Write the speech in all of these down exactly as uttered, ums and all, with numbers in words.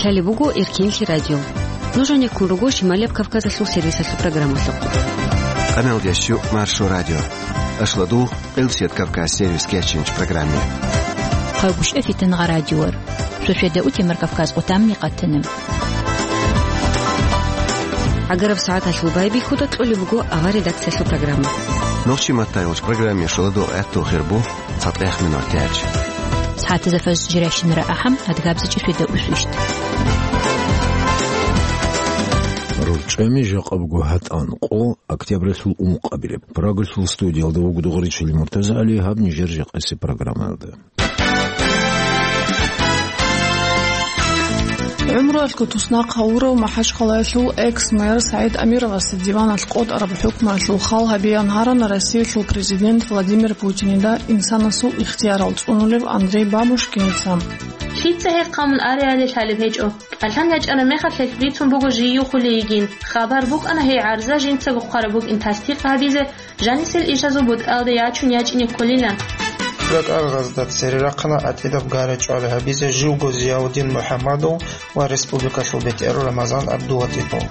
Гьале буго Эркинлъи радио. Нуж гьанеккун руго Шималияб Кавказалъул сервисалъул программалъухъ. Къамел дящу Маршо радио. Ашладу Къилсият Кавказ сервис кечинч программе. Хъавгуш эфитан гъа радиор. Сосведа утемар Кавказ къутамни къатана. Агараб сагӀаталъул байбихьуда кьолеб буго авар редакциялъул программа. Нохчи маттайолч программе шуладу гӀатту хирбу. ЦатӀех минут тяч. СагӀатазда фаз жиращинара ахӀам, адгабзачӀи светаусвищт. РорчӀами жакъабго гьатӀан къо октябралъул ункъабилеб. Прагалъул студиялда вуго Дугъричили МуртазагӀали, гьаб нижер жакъаси программаялда. ГӀумруялъго туснахъ гьавурав МахӀачхъалаялъул экс-мэр СагӀид Амировасе диваналъ къотӀараб хӀукмуялъул хал гьабеян гьарана Россиялъул президент Владимир Путинида инсанасул ихтиярал цӀунулев Андрей Бабушкиница. Лъица гьеб къамун ареали лъалеб гьечӀо. КӀалъан ячӀараб мехалъ гьелъ бицун буго жий юхулей йигин. Хабар букӀана гьей гӀарза жинцаго хъвараб букӀин тасдикъ гьабизе, жанисел ишазул бутӀалда ячун ячӀине кколилан. РакӀаргъазда цере рахъана гӀатӀидаб гара-чӀвара гьабизе живго Зияудин МухӀаммадов ва республикалъул бетӀер Рамазан ГӀабдулатӀипов.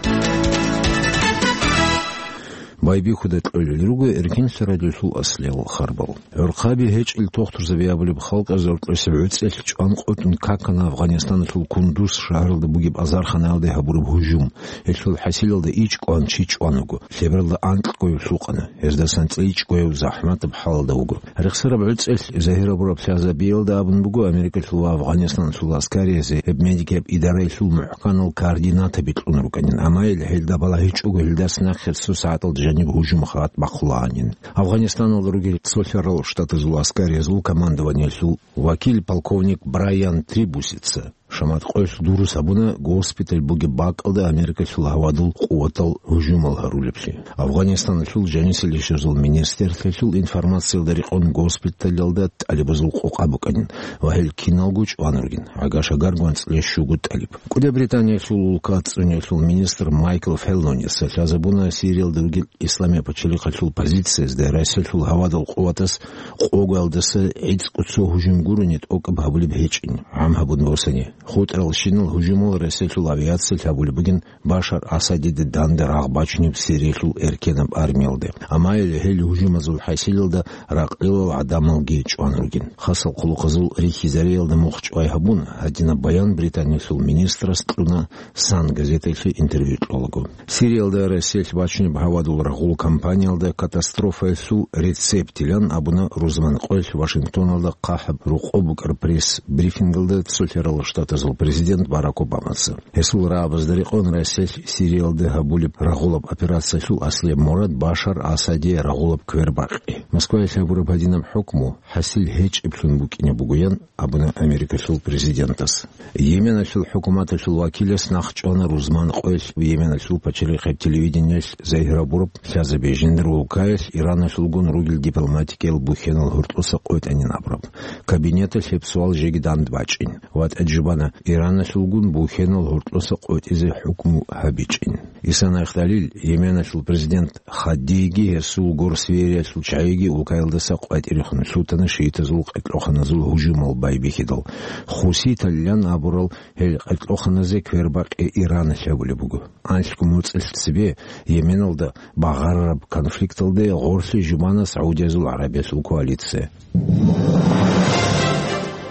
Байбихьуда кьолел руго Эркинлъи радиолъул аслиял харбал. ГӀурхъаби гьечӀел тохтурзаби абулеб халкъ азоркьосеб гӀуцӀелъ чӀван къотӀун какана Афгъанистаналъул Кундуз шагьаралда бугеб азарханаялде гьабураб гьужум. Гьелъул хӀасилалда ичӀ кӀван чи чӀван вуго. Лъебералда анкьго гьев лъукъана. Гьездасан цӀей ичӀго гьев захӀматаб хӀалалда вуго. Рехсараб гӀуцӀелъ загьир абураб лъазабиялда абун буго Америкалъул ва Афгъанистаналъул аскариязде гьеб медикаб идараялъул мухӀканал координатаби кьун рукӀанин, амма гьел гьелда балагьичӀого гьелдаса нахъе цо сагӀаталда жаниб гьужум хабат бахъулагьанин. Афгъанистаналда ругел Цолъарал Штатазул аскариязул командованиялъул вакил полковник Брайан Трибусица шамат къоялъ дурус гьабуна госпиталь бугеб бакӀалда Америкалъул гьавадул къуватал гьужумал гьарулеблъи. Афгъанистаналъул жанисел ишазул министрлъиялъул информациялда рекъон госпиталялда тӀалибазул къокъа букӀанин ва гьел киналго чӀван ругин, гӀагаш-агар гванцӀлъи щуго тӀалиб. КӀуди Британиялъул улка цӀуниялъул министр Майкл Феллоница лъазабуна Сириялда ругел Исламияб пачалихъалъул позициязда Россиялъул гьавадул къуватас къоялдаса гӀицӀго цо гьужум гурони тӀокӀаб гьабулеб гьечӀин, гӀам гьабун босани. ХутӀаралщинал гьужумал Россиялъул авиациялъ гьабулеб бугин Башар Асадида данде рагъ бачунеб Сириялъул эркенаб армиялде. Амма гьел гьужумазул хӀасилалда ракълилал гӀадамалги чӀван ругин. Хасал хъулухъазул рихьизариялда мухъ чӀвай гьабун, гьадинаб баян Британиялъул министрас кьуна Сан газеталъе интервью кьолаго. Сириялда Россиялъ бачунеб гьавадул рагъул кампаниялда катастрофаялъул рецептилан абуна рузман къоялъ Вашингтоналда хъахӀаб рокъоб букӀар пресс-брифингалда Цолъарал Штатазул президент Барак Обамаца. Гьесул рагӀабазда рекъон Россиялъ Сириялда гьабулеб рагъулаб операциялъул аслияб мурад Башар Асаде рагъулаб квербакъи. Москваялъ гьабураб гьадинаб хӀукму хӀасил гьечӀеблъун букӀине бугоян абуна Америкалъул президентас. Йеменалъул хӀукуматалъул вакилас нахъ чӀвана рузман къоялъ Йеменалъул пачалихъеб телевидениялъ загьир гьабураб лъазабе жиндир улкаялъ Ираналъулгун ругел дипломатикиял бухьенал гьоркьоса къотӀанин абураб. Кабинеталъ гьеб суал жеги дандбачӀин. ВатӀа жубана, Ираналъулгун бухьенал гьоркьоса къотӀизе хӀукму гьабичӀин. Исан Айхталил, Йеменалъул президент, хадиги гьесул горсвериялъул чагӀиги улкаялдаса къватӀирехун лъутана шиитазул къеркьоханазул гьужумал байбихьидал. Хуситалилан абурал гьел къеркьоханазе квербакъи Иран лъабулеб буго. Анлъго моцӀалъ цебе Йеменалда багъарараб конфликталде гъорлъе жубана Саудиязул ГӀарабиялъул коалиция.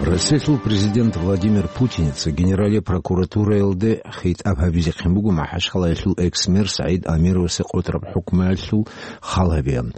Россиялъул президент Владимир Путиница Генералияб прокуратураялде хитӀаб гьабизехъин буго МахӀачхъалаялъул экс-мэр СагӀид Амировасе къотӀараб хӀукмуялъул хал гьабеян.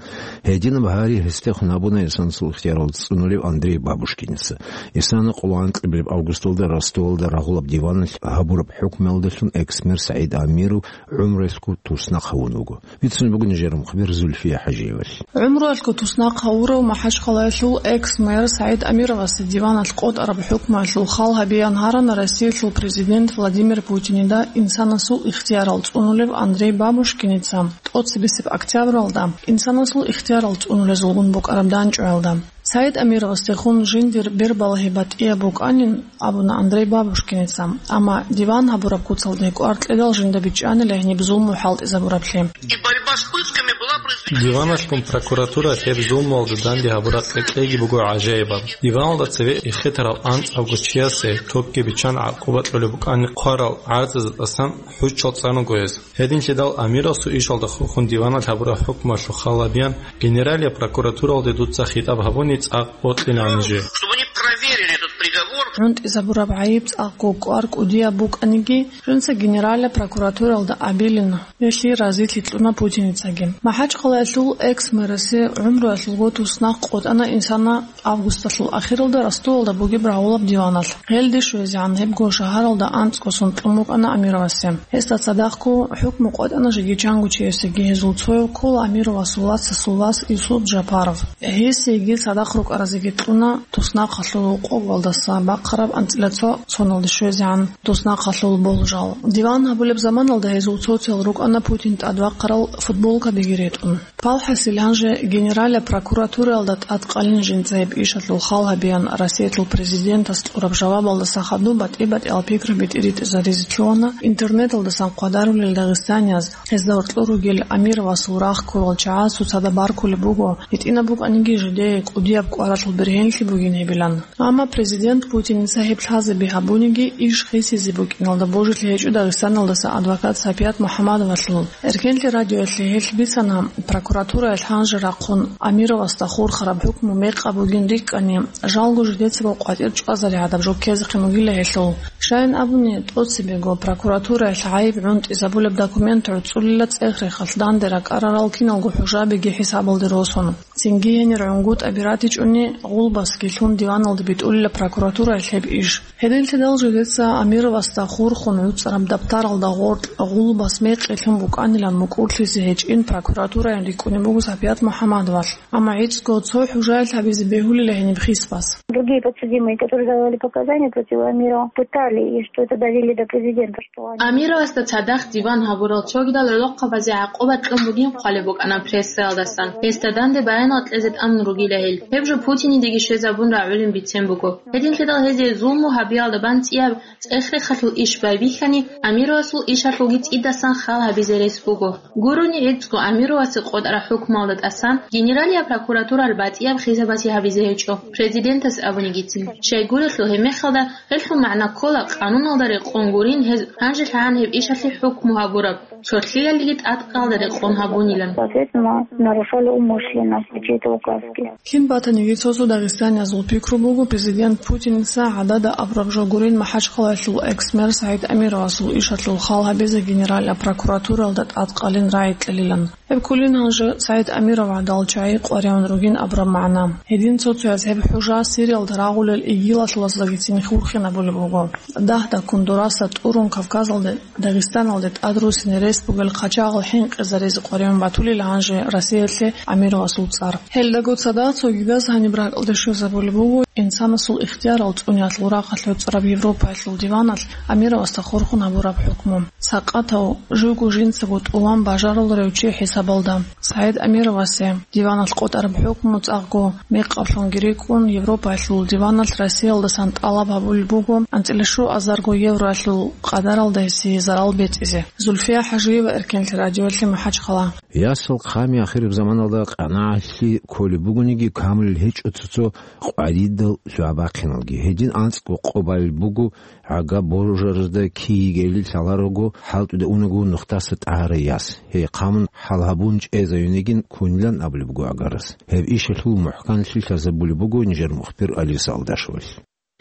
Гьединаб гьари гьесдехун гьабуна инсанасул ихтиярал цӀунулев Андрей Бабушкиница. Исана къоло анкьабилеб августалда Ростовалда рагъулаб диваналъ гьабураб хӀукмуялдалъун экс-мэр СагӀид Амиров гӀумруялъго туснахъ гьавун вуго. Бицун буго нижер мухбир Зульфия ХӀажиевалъ. ГӀумруялъго туснахъ гьавурав МахӀачхъалаялъул экс-мэр СагӀид Амировасе диваналъ къотӀараб хӀукмуялъул хал гьабеян гьарана Россиялъул президент Владимир Путинида инсанасул ихтиярал цӀунулев Андрей Бабушкиница тӀоцебесеб октябралда, инсанасул ихтиярал цӀунулезулгун букӀараб данчӀваялда. СагӀид Амировасдехун жиндир бербалагьи батӀияб букӀанин абуна Андрей Бабушкиница, амма диван гьабураб куцалде кӀвар кьедал жинда бичӀчӀанила гьениб зулму хӀалтӀизабураблъи. И борьба с пытками была Диваналъгун прокуратура гьеб зулмуялда данде гьабураб кьекьейги буго гӀажаибаб. Диваналда цеве эхетарал анцӀабго чиясе токги биччан гӀакъуба кьолеб букӀани, хъварал гӀарцӀазда тӀасан хӀуччал цӀан руго гьез. Гьединлъидал Амировасул ишалда хурхун диваналъ гьабураб хӀукмуялъул хал гьабеян, Генералияб прокуратуралде дуца хитӀаб гьабуни цӀакъ бокьилаанижи. Чтобы они проверили этот приговор. ГӀунтӀизабураб гӀайиб цӀакъго кӀвар кӀудияб букӀаниги, жинца Генералияб прокуратуралда абилин, гьелъие разилъи кьуна Путиницаги. МахӀачхъалаялъул экс-мэрасе гӀумруялъулго туснахъ къотӀана инсана августалъул ахиралда Ростовалда бугеб рагъулаб диваналъ. Гьелде щвезегӀан гьебго шагьаралда анцӀго сон кьун букӀана Амировасе. Гьесда цадахъго хӀукму къотӀана жеги чанго чиясеги, гьезул цояв ккола Амировасул вацасул вас Юсуп Жапаров. Гьесиеги цадахъ рукӀаразеги кьуна туснахъалъул къоголдаса бахъараб анцӀила цо соналде щвезегӀан туснахъалъул болжал. Диван гьабулеб заманалда гьезул цоцал рукӀана Путин тӀадвахъарал футболкабиги ретӀун. Палхасил гьанже Генералияб прокуратуралда тӀадкъалин жинца гьеб ишалъул хал гьабеян Россиялъул президентас кьураб жавабалдаса хадуб батӀи-батӀиял пикраби тӀиритӀизаризе лъугьана интернеталдасан хъвадарулел дагъистанияз. Гьезда гьоркьор ругел Амировасул рагъ ккурал чагӀаз цоцазда баркулеб буго, гьитӀинаб букӀаниги жидее кӀудияб кӀваралъул бергьенлъи бугин гьебилан. Амма президент Путиница гьеб лъазаби гьабуниги, иш хисизе букӀиналда божилъи гьечӀо Дагъистаналдаса адвокат Сапият МухӀаммадовалъул. Эркенлъи радиоялъе гьелъ бицана, прокуратураялъ гьанже рахъун Амировасда хурхараб хӀукму мекъаб бугин рикӀкӀани, жалго жидецаго къватӀир чӀвазари гӀадаб жо ккезехъин бугила гьелъул. Щайин абуни, тӀоцебего прокуратураялъ гӀайиб гӀунтӀизабулеб документ гӀуцӀулила цӀех-рехалъ данде ракӀарарал киналго хӀужабиги хӀисабалде росун. Цинги гьенир гӀунгутӀаби ратичӀони, гъулбасги лъун диваналде битӀулила прокуратураялъ гьеб иш. Гьединлъидал жидеца Амировасда хурхун гӀуцӀараб даптаралда гъоркь гъулбас мекъи лъун букӀанилан мукӀурлъизе гьечӀин прокуратураян рикӀкӀунеб буго Сапият МухӀаммадовалъ. Амма гӀицӀго цо хӀужаялъ гьабизе бегьулила гьениб хисбас. Другие подсудимые, которые давали показания против Амирова, пытали, и что это довели до президента, что они... Амировасда цадахъ диван гьабурал цогидал гӀолохъабазе гӀакъуба кьун бугин хъвалеб букӀана прессаялдасан. Гьесда данде баянал кьезе тӀамун ругила гьел. Гьеб жо Путинидеги щвезабун рагӀулин бицен буго. Гьединлъидал гьезие зулму гьабиялда бан цӀияб цӀех-рехалъул иш байбихьани, Амировасул ишалъулги цӀидасан хал гьабизе рес буго. Гурони гӀицӀго Амировасе къотӀараб хӀукмуялда тӀасан Генералияб прокуратуралъ батӀияб хисабасе гьабизе гьечӀо, президентас абунигицин. Щайгурелъул гьеб мехалда гьелъул магӀна ккола, къануналда рекъон гурин гьез гьанжелъагӀан гьеб ишалъе хӀукму гьабураб, цолъиялиги тӀадкъалда рекъон гьабунилан. Соответственно, нарушали умышленно все чьи-то указки. Кин батаниги цо-цо дагъистаниязул пикру буго, президент Путиница гӀадада абураб жо гурин МахӀачхъалаялъул экс-мэр СагӀид Амировасул ишалъул хал гьабизе Генералияб прокуратуралда тӀадкъалин рагӀи кьелилан. Гьеб кколин гьанже СагӀид Амиров гӀадал чагӀи къваригӀун ругин абураб магӀна. Гьедин цо-цояз гьеб хӀужа Сириялда рагъулел игилалъулаздаги цин хурхинабулеб буго. Дагьдаккун дураса тӀурун Кавказалде, Дагъистаналде тӀад руссине рес бугел хъачагъал хӀинкъизаризе къваригӀун батулел гьанже Россиялъе Амировасул цӀар. Гьелдаго цадахъ цогидаз гьаниб ракӀалде щвезабулеб буго инсанасул ихтиярал цӀуниялъул рахъалъ гӀуцӀараб Европаялъул диваналъ Амировасда хурхун гьабураб хӀукму. Сакъатав, живго жинцаго тӀуван бажаруларев чи хӀисабалда, СагӀид Амировасе диваналъ къотӀараб хӀукму цӀакъго мекъаблъунги рикӀкӀун, Европаялъул диваналъ Россиялдасан тӀалаб гьабулеб буго анцӀила щуазарго евроялъул къадаралда гьесие зарал бецӀизе. Зульфия ХӀажиева, Эркенлъи радиоялъе, МахӀачхъала. Ясал хъами ахираб заманалда къанагӀалъи кколеб бугониги, камулел гьечӀо цо-цо къваридал лъугьа-бахъиналги. Гьедин анцӀго къо балеб буго гӀага божаразда киги гели лъаларого, хӀалтӀуде унаго нухдаса тӀагьарай яс. Гьей хъамун хӀал гьабун чӀезаюнегин кунилан абулеб буго гӀагарас. Гьеб ишалъул мухӀканлъи лъазабулеб буго нижер мухбир Алиса Алдашевалъ.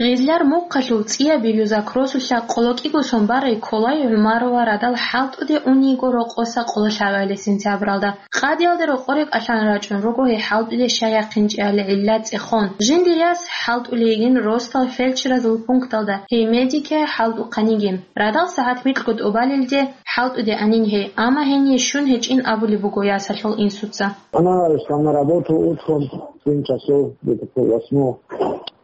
Гъезлар мухъалъул цӀияб Белюзак росулъа къоло кӀиго сон барай Колай ГӀумарова радал хӀалтӀуде униго рокъоса къоло лъабабилеб сентябралда. Къадиялде рокъоре кӀалъан рачӀун руго гьей хӀалтӀуде щай яхъинчӀебали гӀилла цӀехон. Жиндир яс хӀалтӀулей йигин росдал фельдшеразул пункталда, гьей медике хӀалтӀухъан йигин. Радал сагӀат микьго тӀубалелде хӀалтӀуде анин гьей, амма гьение щун гьечӀин абулеб буго ясалъул инсуца. Она шла на работу утром в семь часов, где-то пол восьмого.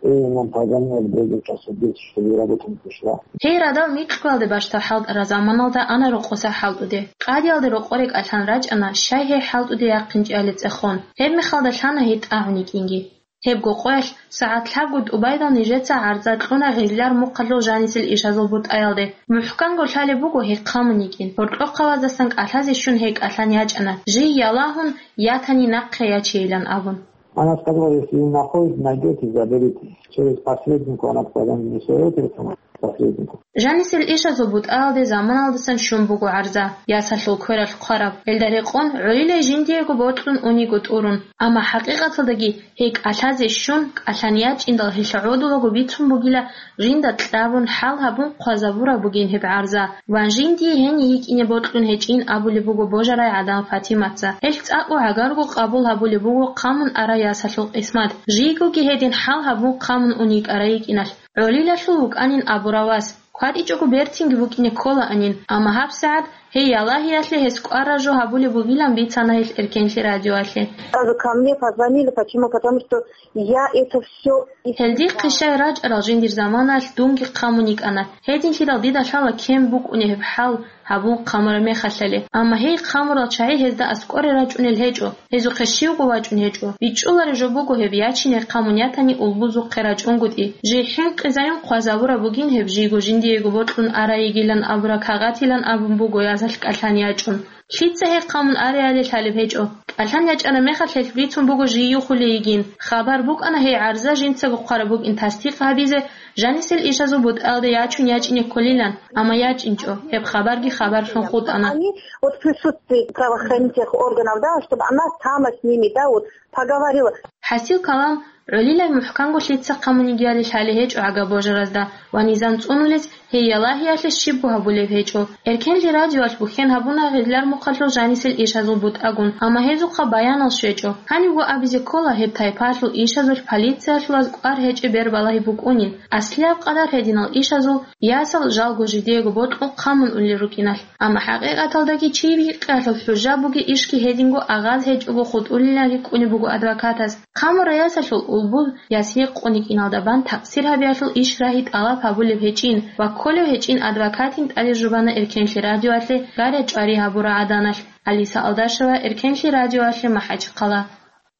И нам позвонили в другой час, в десять, что я работу не пришла. Гьей радал микьгоялде бащдаб хӀалтӀараб заманалда ана рокъоса хӀалтӀуде. Къадиялде рокъоре кӀалъан рачӀана, щай гьей хӀалтӀуде яхъинчӀебали цӀехон. Гьеб мехалда лъана гьей тӀагӀун йикӀинги. Гьебго къоялъ сагӀат лъабго тӀубайдал нижеца гӀарза кьуна гъезлар мухъалъул жанисел ишазул бутӀаялде. МухӀканго лъалеб буго гьей хъамун йикӀин, гьоркьохъабаздасан кӀалъазе щун гьей кӀалъан ячӀана, жий ялагьун, ятани нахъе ячейилан абун. Она сказала: «Если вы находите, найдете, заберите. Через посредника она потом не советуется, посреднику». Жанисел ишазул бутӀаялде заманалдасан щун буго гӀарза, ясалъул квералъ хъвараб. Гьелда рекъон гӀолилай жиндиего бокьун униго тӀурун. Амма хӀакъикъаталдаги гьей кӀалъазе щун, кӀалъан ячӀиндал гьелъ гӀодулаго бицун бугила, жинда кьабун, хӀал гьабун хъвазабураб бугин гьеб гӀарза. Ва жиндие гьениб йикӀине бокьун гьечӀин абулеб буго божарай гӀадан Фатиматца. Гьелъ цӀакъго гӀагарго къабул гьабулеб буго хъамун арай ясалъул къисмат. Жийгоги гьедин хӀал гьабун хъамун ун йикӀарай йикӀиналъ. ГӀолилалъул вукӀанин абурав вас. КватӀичӀого бертинги вукӀине кколаанин, амма гьабсагӀат гьей ялагьиялъе гьес кӀвар-ражу гьабулеб бугилан бицана гьелъ Эркенлъи радиоялъе. Сразу ко мне позвонили. Почему? Потому что я это всё... Гьел дихъе щай рачӀарал жиндир заманаялъ дунги хъамун йикӀана. Гьединлъидал дида лъала кин букӀунеб гьеб хӀал гьабун хъамураб мехалъали. Амма гьей хъамурал чагӀи гьезда аскӀоре рачӀунел гьечӀо. Гьезухъе щивго вачӀун гьечӀо. БичӀчӀулареб жо буго гьеб ячине хъамун ятани улбузухъе рачӀунгутӀи. Жий хӀинкъизайин хъвазабураб бугин гьеб жийго жиндиего бокьун арай йигилан абураб кагъатилан абун буго язалъ кӀалъан ячӀун. Лъица гьей хъамун ареали лъалеб гьечӀо. КӀалъан ячӀараб мехалъ гьелъ бицун буго жий юхулей йигин. Хабар букӀана гьей гӀарза жинцаго хъвараб букӀин тасдикъ гьабизе, жанисел ишазул бутӀаялде ячун ячӀине кколилан, амма ячӀинчӀо, гьеб хабарги хабарлъун хутӀана. Они вот в присутствии правоохранительных органов, да, чтобы она сама с ними, да, вот поговорила. ХӀасил калам, гӀолилай мухӀканго лъица хъамун йигиали лъалеб гьечӀо гӀага божаразда ва низам цӀунулез гьей ялагьиялъе щибго гьабулеб гьечӀо. Эркенлъи радиоялъ бухьен гьабуна гъезлар мухъалъул жанисел ишазул бутӀагун, амма гьезухъа баянал щвечӀо. Гьанибго абизе ккола гьеб тайпаялъул ишазулъ полициялъулаз кӀвар гьечӀеб бер балагьи букӀунин, аслияб къадар гьединал ишазул ясал жалго жидеего бокьун хъамун улел рукӀиналъ. Амма хӀакъикъаталдаги чи бикъиялъул хӀужа бугеб ишги гьединго агъаз гьечӀого хутӀулилан рикӀкӀунеб буго адвокатас. Хъамурай ясалъул улбул яс гьекъон йикӀиналда бан такъсир гьабиялъул иш рагьи тӀалаб гьабулеб гьечӀин ва кколев гьечӀин адвокатин тӀаде жубана Эркенлъи радиоялъе гаря чӀвари гьабураб гӀаданалъ. Алиса Алдашева, Эркенлъи радиоялъе, МахӀачхъала.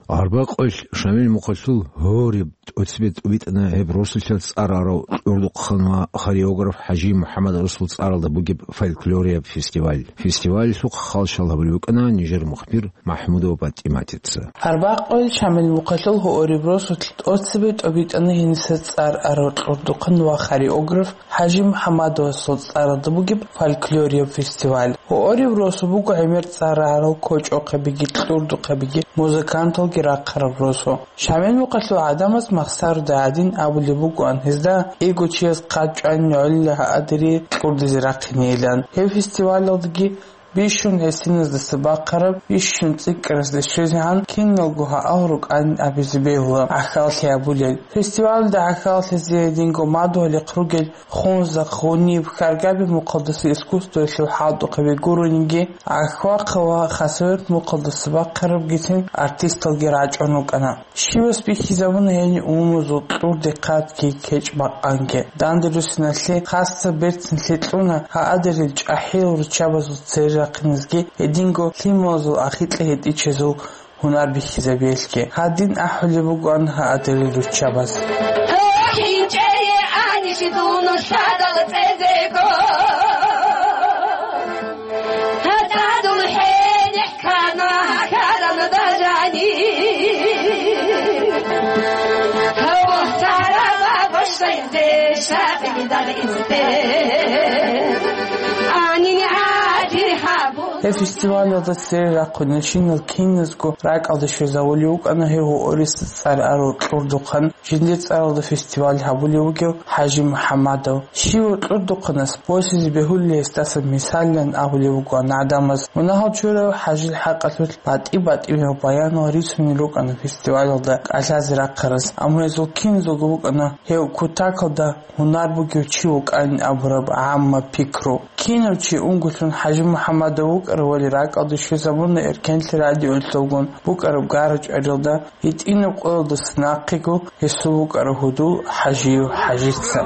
Арбакъоялъ Шамил мухъалъул гьориб тӀоцебе тӀубитӀана гьеб росулъа цӀар арав кьурдухъан ва хореограф ХӀажи МухӀаммад Расул цӀаралда бугеб фольклорияб фестиваль. Фестивалалъухъ халщал гьабулеб букӀана нижер мухбир МахӀмудова ПатӀиматица. Арбакъоялъ Шамил мухъалъул гьориб росулъ тӀоцебе тӀубитӀана гьениса цӀар арав кьурдухъан ва хореограф ХӀажи МухӀаммадовасул цӀаралда бугеб фольклорияб фестиваль. Гьориб росу буго гӀемер цӀар арал кочӀохъебиги, кьурдухъебиги, музыканталги рахъараб росу. Шамил мухъалъул гӀадамаз махсаруда гӀадин абулеб бугоан гьезда, кӀиго чияс хъат чӀванин гӀолила гьадире кьурдизе рахъинейилан. Гьеб фестивалалдаги бищун гӀисиназдаса бахъараб, бищун цӀикӀкӀаразде щвезегӀан киналго гьал рукӀанин абизе бегьула гӀахьаллъи гьабулел. Фестивалалда гӀахьаллъизе гьединго мадугьалихъ ругел хунзахъ, гьуниб, хьаргаби мухъалдаса искусствоялъул хӀалтӀухъаби гурониги, гӀахьвахъа ва хасавюрт мухъалдаса бахъарабгицин артисталги рачӀун рукӀана. Щивас бихьизабуна гьениб умумузул кьурдехъатги кечӀ-бакъанги. Данде руссиналъе хасса берцинлъи кьуна гьадерил чӀахӀиял руччабазул цере рахъинезги, гьединго лъималазул ахикьа гьетӀичезул гьунар бихьизабиялъги. Гьадин ахӀулеб бугоан гьадерил руччабаз. ХӀинчӀее анищ дун лъадал цӀезего. ТатӀадул хӀенехъ ккана гьарам бажани. Гьавсарава бошайзе шагьидал исте. Анин гӀади гьабу. Гьеб фестивалалда цере рахъунел киназго ракӀалде щвезавулев вукӀана гьев гьориса цӀар арав кьурдухъан. Жиндир цӀаралда фестиваль гьабулев вугев ХӀажи МухӀаммадов. Щивав кьурдухъанас босизе бегьулел гьесдасан мисаллъун абулеб бугоан гӀадамаз. Мунагьал чурав ХӀажил хӀакъалъулъ батӀи-батӀиял баянал рицунел рукӀана фестивалалда кӀалъазе рахъараз, амма гьезул киназулго букӀана гьев кутакалда гьунар бугев чи вукӀанин абураб гӀамма пикру. Кинав чи унго лъун ХӀажи МухӀаммадов вукӀа ТӀадбирзабуна ракӀалде щвезабуна Эркенлъи радиоялъулгун букӀараб гара-чӀваралда, гьитӀинаб къоялдаса нахъего гьесул вукӀарав гьудул ХӀажиев ХӀажица.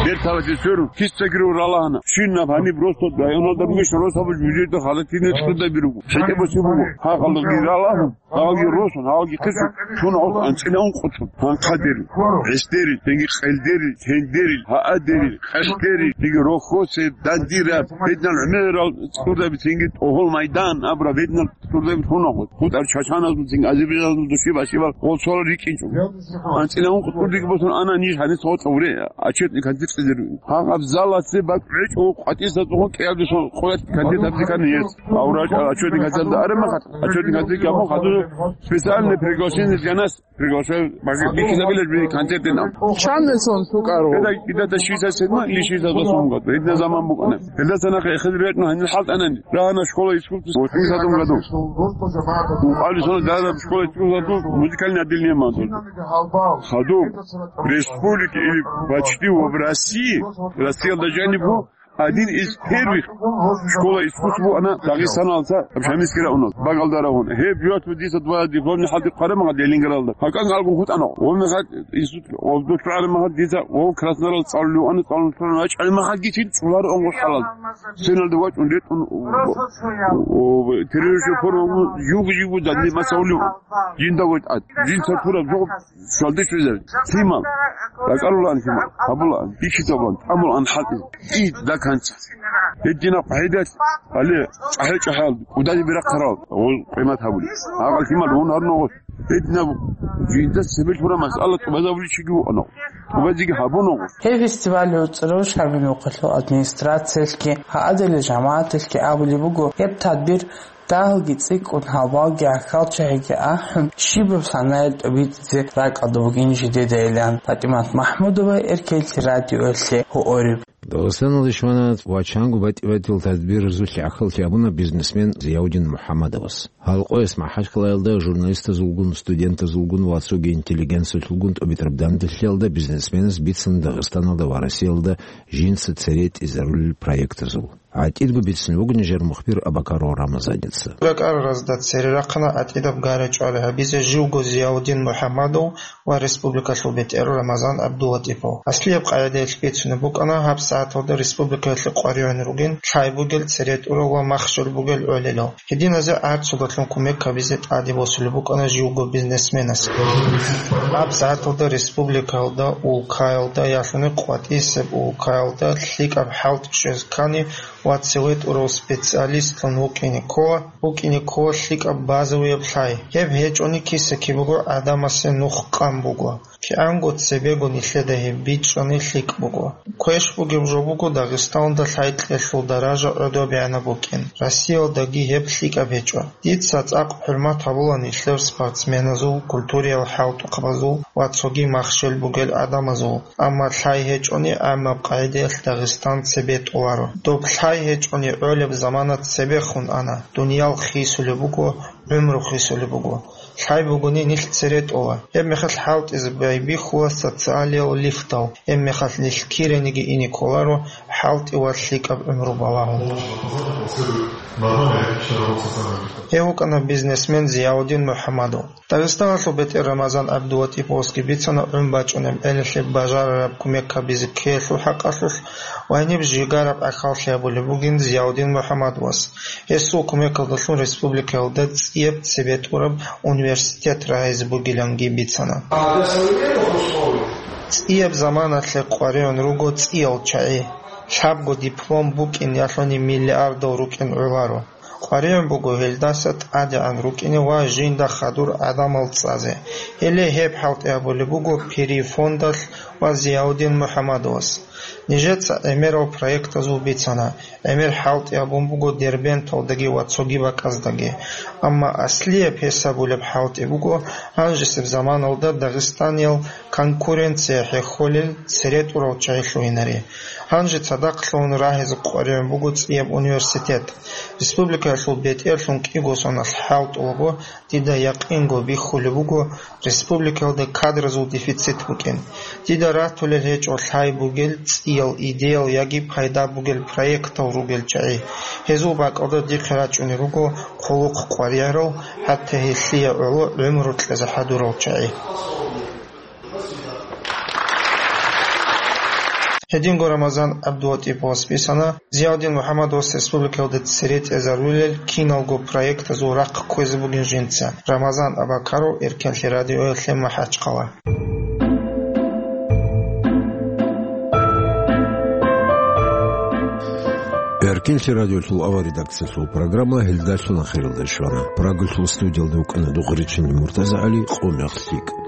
Берталасе сверун, кистагиру ралагьана. Щинаб гьаниб росдал районалда бугищ, росаб жужида халатине цӀудаби руго. ХӀетӀе боси буго. Гьа халкъги ралагьун, гьалги росун, гьалги хисун, чун гьал анцӀила ункъуцун. Гьанхъа дери, гӀис дери, тенги къел дери, тен дери, гьаа дери, къеш дери, тенги рохьосе, дандира, гьединал гӀемерал цӀудаби тенги тӀогьол майдан абра, гьединал цӀудаби хунагъут. ХутӀар чачаназул тенги азербайжаназул души башивал гъолцола рикӀинчӀо. АнцӀила ункъ кӀудиги босун ана ниж гьанис гъоцӀа уре, отчетный концепция деру. Гьаб заласе бакӀ гӀечӀо къватӀиса цӀугъун кӀиабдесон къоят кандидат декан ес. Аврач отчетный концепция арема хат, отчетный концепция габун хадур специальное приглашение для нас приглашаю, бики забилеш би концертина. Чан сон сукаро? Когда, когда-то шестьдесят седьмой или шестьдесят восьмом году. Эдна заман букана. Когда-то на хедретно гьанил халтӀанани. Рагьана школа искусств в восьмидесятом году. Алисона дара школа искусств музыкальное отделение ман. Хадуб, республики или почти в России, Россия даже не была, один из первых школа искусств она Дагестаналца Шамискира унал. Багалдара он. Хеб биот диса два дипломный халди къарамага Ленинградалда. Хакан алгу хутано. Он хат институт, он доктор алимага диса, он Краснодарал цаллу, он цаллу, он ачалимага гитин, чулар он гошалал. Сеналда вачун ретун, о, террористическая форма, юг-юг, да, не масаулю. Жинда вот ат. Жин сатура, жо, шалдиш везер. Тимал. Ракарулан тимал. Хабулан. Ишитабан. Амулан хатин. И да канца. Эдина пайдат. Але, чахе чахал. Удали биракарал. Ол къимат хабули. Агал тимал, он арно. Эдина жинда себел тура масъала тубазавли чиги вуано. Тубазиги хабуно. Гьеб фестиваль гӀуцӀрав Шамил мухъалъул администрациялъги, гьадали жамагӀаталъги абулеб буго, гьеб тадбир дагьалги цӀикӀкӀун, гьалбалги гӀахьалчагӀиги ахӀун, щибаб санаялъ тӀобитӀизе ракӀалда бугин жидедайилан. ПатӀимат МахӀмудова, Эркенлъи радиоялъе, Гьуориб. Дагъистаналде щвана ва чанго батӀи-батӀиял тадбирзулъе гӀахьаллъи абуна бизнесмен Зияудин МухӀаммадовас. Гьалкъояс МахӀачкъалаялда журналистазулгун, студентазулгун ва цоги интеллигенциялъулгун тӀобитӀараб данделъиялда бизнесменас бицана Дагъистаналда ва Россиялда жинца цере тӀизарулел проектазул. ГӀатӀидго бицунеб буго нижер мухбир Абакаров Рамазаница. РакӀар разда цере рахъана гӀатӀидаб гара-чӀвара гьабизе живго Зияудин МухӀаммадов ва республикалъул бетӀер Рамазан ГӀабдулатӀипов. Аслияб къагӀидаялъ бицунеб букӀана гьаб сагӀаталда республикаялъе къваригӀун ругин лъай бугел цере тӀурал ва махщел бугел гӀолилал. Гьединазе гӀарцудалъун кумек гьабизе тӀаде босулеб букӀана живго бизнесменас. Гьаб сагӀаталда республикаялда, улкаялда, ялъуни къватӀисеб улкаялда лъикӀаб хӀалтӀи щвез ккани ва цеве тӀурав специалистлъун вукӀине ккола, вукӀине ккола лъикӀаб базовияб лъай. Гьеб гьечӀони киса-кибего гӀадамасе нух къан буго. КигӀанго цебего нилъеда гьеб бичӀчӀани лъикӀ буго. Квеш бугеб жо буго Дагъистаналда лъай кьелъул даража гӀодобегӀанаб букӀин. Россиялдаги гьеб лъикӀаб гьечӀо. Дица цӀакъ хӀурмат гьабула нилъер спортсменазул, культуриял хӀалтӀухъабазул ва цоги махщел бугел гӀадамазул, амма лъай гьечӀони гӀаммаб къагӀидаялъ Дагъистан цебе тӀоларо. Доб лъай гьечӀони гӀолеб замана цебехун ана, дуниял хисулеб буго, гӀумру хисулеб буго. Лъай бугони нилъ цере тӀола. Гьеб мехалъ хӀалтӀизе байбихьула социалиял лифтал, гьеб мехалъ нилъ кирениги ине кколаро хӀалтӀи ва лъикӀаб гӀумру балагьун. Гьев вукӀана бизнесмен Зияудин МухӀаммадов. Дагъистаналъул бетӀер Рамазан ГӀабдулатӀиповасги бицана гӀун бачӀунеб гӀелалъе бажарараб кумек гьабизе ккеялъул хӀакъалъулъ ва гьениб жигараб гӀахьаллъи гьабулеб бугин Зияудин МухӀаммадовас. Гьесул кумекалдалъун республикаялда цӀияб цебетӀураб университет рагӀизе бугиланги бицана. ЦӀияб заманалъе къваригӀун руго цӀиял чагӀи. Лъабго диплом букӀин ялъуни миллиардал рукӀин гӀоларо. КъваригӀун буго гьелдаса тӀадегӀан рукӀине ва жинда хадур гӀадамал цӀазе. Гьеле гьеб хӀалтӀи гьабулеб буго Пири фондалъ ва Зияудин МухӀаммадовас. Нижеца гӀемерал проектазул бицана. ГӀемер хӀалтӀи гьабун буго Дербенталдаги ва цоги бакӀаздаги. Амма аслияб гьесабулеб хӀалтӀи буго гьанжесеб заманалда Дагъистаниял конкуренция хӀехьолел цере тӀурав чагӀи лъугьинаре. Гьанже цадахъ лъугьун рагьизе къваригӀун буго цӀияб университет. Республикаялъул бетӀерлъун кӀиго соналъ хӀалтӀулаго, дида якъинго бихьулеб буго республикаялда кадразул дефицит букӀин. Дида ратулел гьечӀо лъай бугел цӀиял идеял яги пайда бугел проектал ругел чагӀи. Гьезул бакӀалда дихъе рачӀунел руго хъулухъ къваригӀарал, хӀатта гьелъие гӀоло гӀумру кьезе хӀадурал чагӀи. Гьединго Рамазан ГӀабдулатӀиповас бицана Зиявдин МухӀаммадовас республикаялда цере тӀезарулел киналго проектазул рахъ кквезе бугин жинца. Рамазан Абакаров, Эркенлъи радиоялъе МахӀачхъала. Эркенлъи радиолъул авал редакциялъул программа гьелдалъун ахиралде щвана. Прагалъул студиялда вукӀана Дугъричинин МуртазагӀали, къо мех лъикӀ.